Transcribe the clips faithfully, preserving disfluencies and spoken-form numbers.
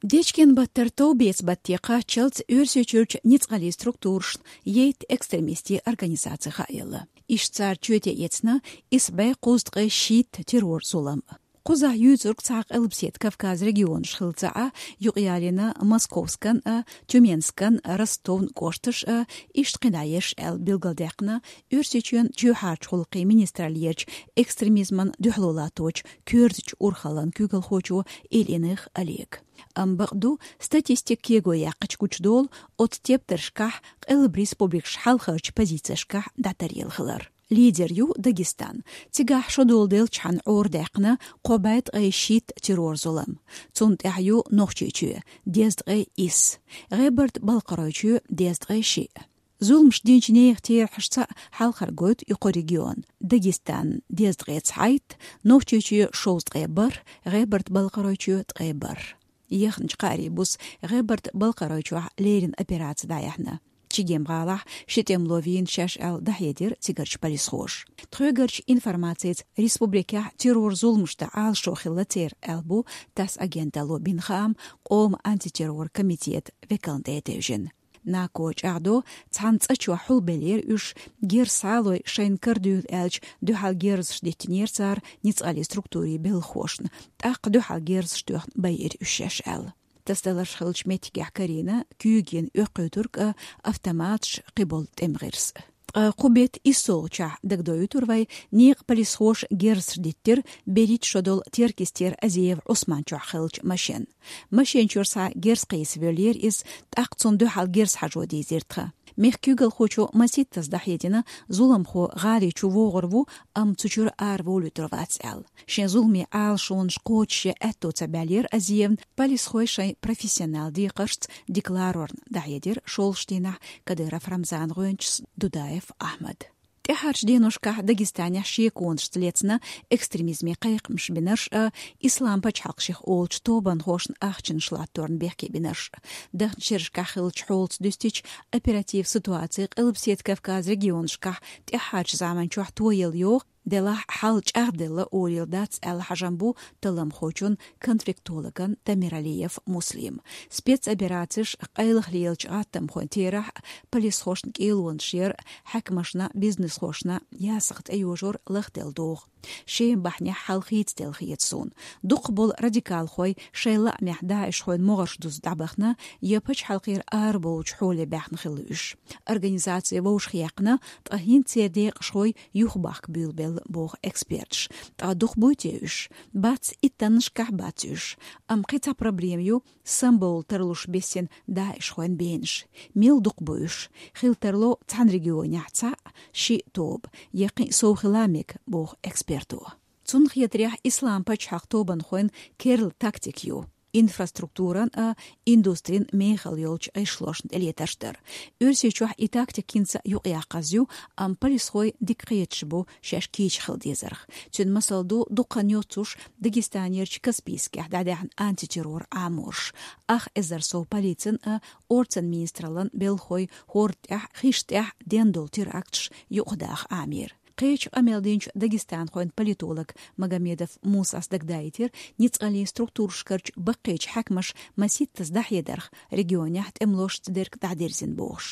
Дечкен-баттара товбеца баттакъа чалц Оьрсийчуьрчу ницкъаллин структурашна яйтта экстремистийн организаци хаелла. Иштта цара чоьте эцна исс бӀе кхузткъе шийтта террор-зулам. Кхузахь юьйцург цхьа Къилбаседа Кавказ регионаш хилла ца Ӏа, юкъаялийна Московскан а, Тюменскан, Ростовн кӀошташ а, иштта кхин дӀа ерш аьлла билгалдаьккхина Оьрсийчоьнан чоьхьарчу гӀуллакхийн министраллерчу экстремизмана дуьхьало латточу коьртачу урхаллан куьйгалхочо Ильиных Олега. Амма бакъду, статистика кего яьккхича гучудолу оцу тептаршкахь Къилба республикаш хьалхарчу позицешкахь дӀатаръелла хилар. Лидер ю Дагестан. Цигахь шо дола деллачхьана Ӏорадаьккхина кхо бӀе ткъе шийтта террор-зулам. Цунна тӀаьхьа ю Нохчийчоь, дезткъе исс. ГӀебарта-Балкхаройчоь, дезткъе шиъ. Зуламаш динчу нехан терахьашца хьалхара гойту и кхо регион. Дагестан, дезткъе цхьайтта, Нохчийчоь, шовзткъе бархӀ, ГӀебарта-Балкхаройчоь, ткъе бархӀ. Яхначу кхаарийн буса ГӀебарта-Балкхаройчохь леррина операци дӀаяьхьна. Чегем-гӀалахь ши тӀемало вийна шаьш аьлла дӀахьедира цигарчу полисхоша. Тхоьгарчу информацица, республикехь террор-зуламашна Ӏалашо хилла церан аьлла бу ТАСС агенталло бина хаам къоман антитеррор комитетан векална тӀе а тевжина. НАКО чӀагӀдо, цхьана цӀа чохь хьулбеллера уьш, герз схьалой шайна карадуьйла аьлча, дуьхьал герзаш диттинера цара ницкъаллин структурийн белхахошна, тӀаккха дуьхьал герзаш тоьхна байира уьш шаьш аьлла. ТАСС даларш хиллачу меттигехь карийна куьйган оьккхуьйтург а, автоматаш, кхиболу тӀеман гӀирс. Ткъа кху беттан иссолгӀачохь, дагадоуьйтур вай, некъан полисхоша герзаш диттира берхӀитта шо долу Теркйистера Азиев Ӏусман чохь хиллачу машен. Машен чуьра схьа герз кхийса воьллера иза, тӀаккха цунна дуьхьал герз хьажо дийзира тхан. Мехкан куьйгалхочо масийттаза дӀахьедина, зуламхо гӀали чу вогӀур ву, амма цу чуьра араволуьйтур вац аьлла. Шен зуламе Ӏалашонаш кхочушъян аьтто ца баьллера Азиевна, полисхой шайн профессионал декхаршца декларорна дӀахьедира шолгӀачу дийнахь Кадыров Рамзан гӀоьнчас Дудаев Ахьмад. ТӀаьхьарчу деношкахь Дагестанехь шеконашца лецна экстремизме кхайкхамаш бинарш а, Ислам пачхьалкх шех олучу тобанхошна ахчанаш латторна бехке бинарш а. Дахначу шерашкахь хиллачу хьолаца дуьстича, оператив ситуаци Къилбаседа Кавказ регионашкахь тӀаьхьарчу заманчохь тоелла йогӀу, делахь хьал чӀагӀделла олийла дац аьлла хьажам бу талламхочун, конфликтологан Тамиралиев Муслима. Спецоперацеш, къайлаха лелачу гӀаттамхойн терахь, полисхошна кӀелонаш яр, хьаькамашна, бизнесхошна ясагӀа тӀейожор лахделла догӀу. Шеман бахьанехь хьал хийцаделла хета суна. Дукхахболу радикалхой шайн лаамехь ДАИШхойн могӀарш дуза дӀабахана я пачхьалкхера арабовлучу хьоле баьхна хилла уьш. Организаци вовшахъяьккхина, ткъа хӀинца церан декъашхой юхабахка буьйлабелла, боху эксперташ. Ткъа дукха буй те уьш? Бац, иттаннашкахь бац уьш. Амма кхин цхьа проблема ю, самабовла тарлуш бисина ДАИШхойн бенаш. Мел дукха бу уьш? Хила тарло цхьана регионехь цхьаъ, шиъ тоба, я кхин а сов хила мега, боху эксперто. Цунна хетарехь, Ислам пачхьалкх тобанхойн керла тактика ю инфраструктуран а, индустрин мехала йолчу гӀишлошна тӀелетарш дар. Оьрсийчохь и тактика хӀинца юкъаяккхаза ю, амма полисхой дика кхеташ бу шаьш кийча хила дезарх. Цуьнан масал ду дуккха а йоццуш Дагестанерчу Каспийскехь дӀадаьхьна антитеррор Ӏаморш. Ах эзар сов полицин а, орцан министраллан белхахой хӀорда тӀехь, хиш тӀехь ден долу теракташ юкъадаха Ӏамийра. Кхечу къамел динчу дагестанхойн политолог Магомедов Мусас дагадаийтира, ницкъаллин структурашкарчу баккхийчу хьаькамаша масийттаза дӀахьедарх, регионехь тӀемалошца дерг дӀадирзина бохуш.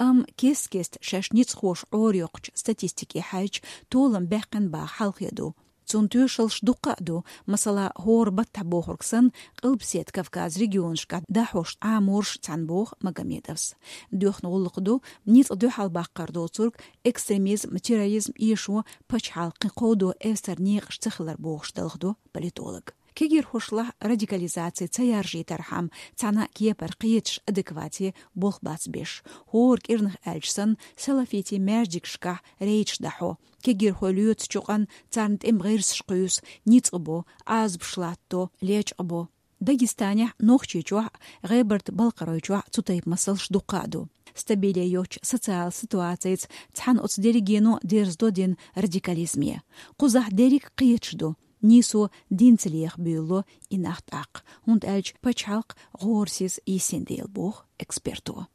Амма кест-кеста шаьш ницкъахоша Ӏорайоккхучу статистике хьаьжча, толам баьккхина баха хьалхе ду. Цунна тоьшаллаш дуккха а ду, масала, хӀора баттахь бохург санна, Къилбаседа Кавказ регионашкахь дӀахьош Ӏаморш цхьаьна, боху Магомедовс. Доьхна гӀуллакх ду ницкъ дуьхьалбаккхар доцург, экстремизм, терроризм эшо пачхьалкх кхин кховдо эвсара некъаш ца хилар, бохуш далхадо политолог. Кегирхошлахь радикализаци ца яржийтархьама, цхьана а кепара кхеташ адеквате болх бац беш. ХӀора кӀирнах аьлча санна, салафитийн маьждигашкахь рейдаш дӀахьо. Кегирхой лоьцу чукъанна, царна тӀеман гӀирсаш кхуьйсу, ницкъ бо, Ӏазапаш латто, лечкъа бо. Дагестанехь, Нохчийчохь, ГӀебарта-Балкхаройчохь цу тайпа масалш дуккха а ду. Стабиле йоцчу социалан ситуацица цхьаьна оцу дерригено дерзадо дина радикализме. Кхузахь дерриг кхеташ ду, нийсо динца леха буьйлало и нах тӀаккха, хӀунда аьлча пачхьалкх гӀорасиз йисина дела, боху эксперто.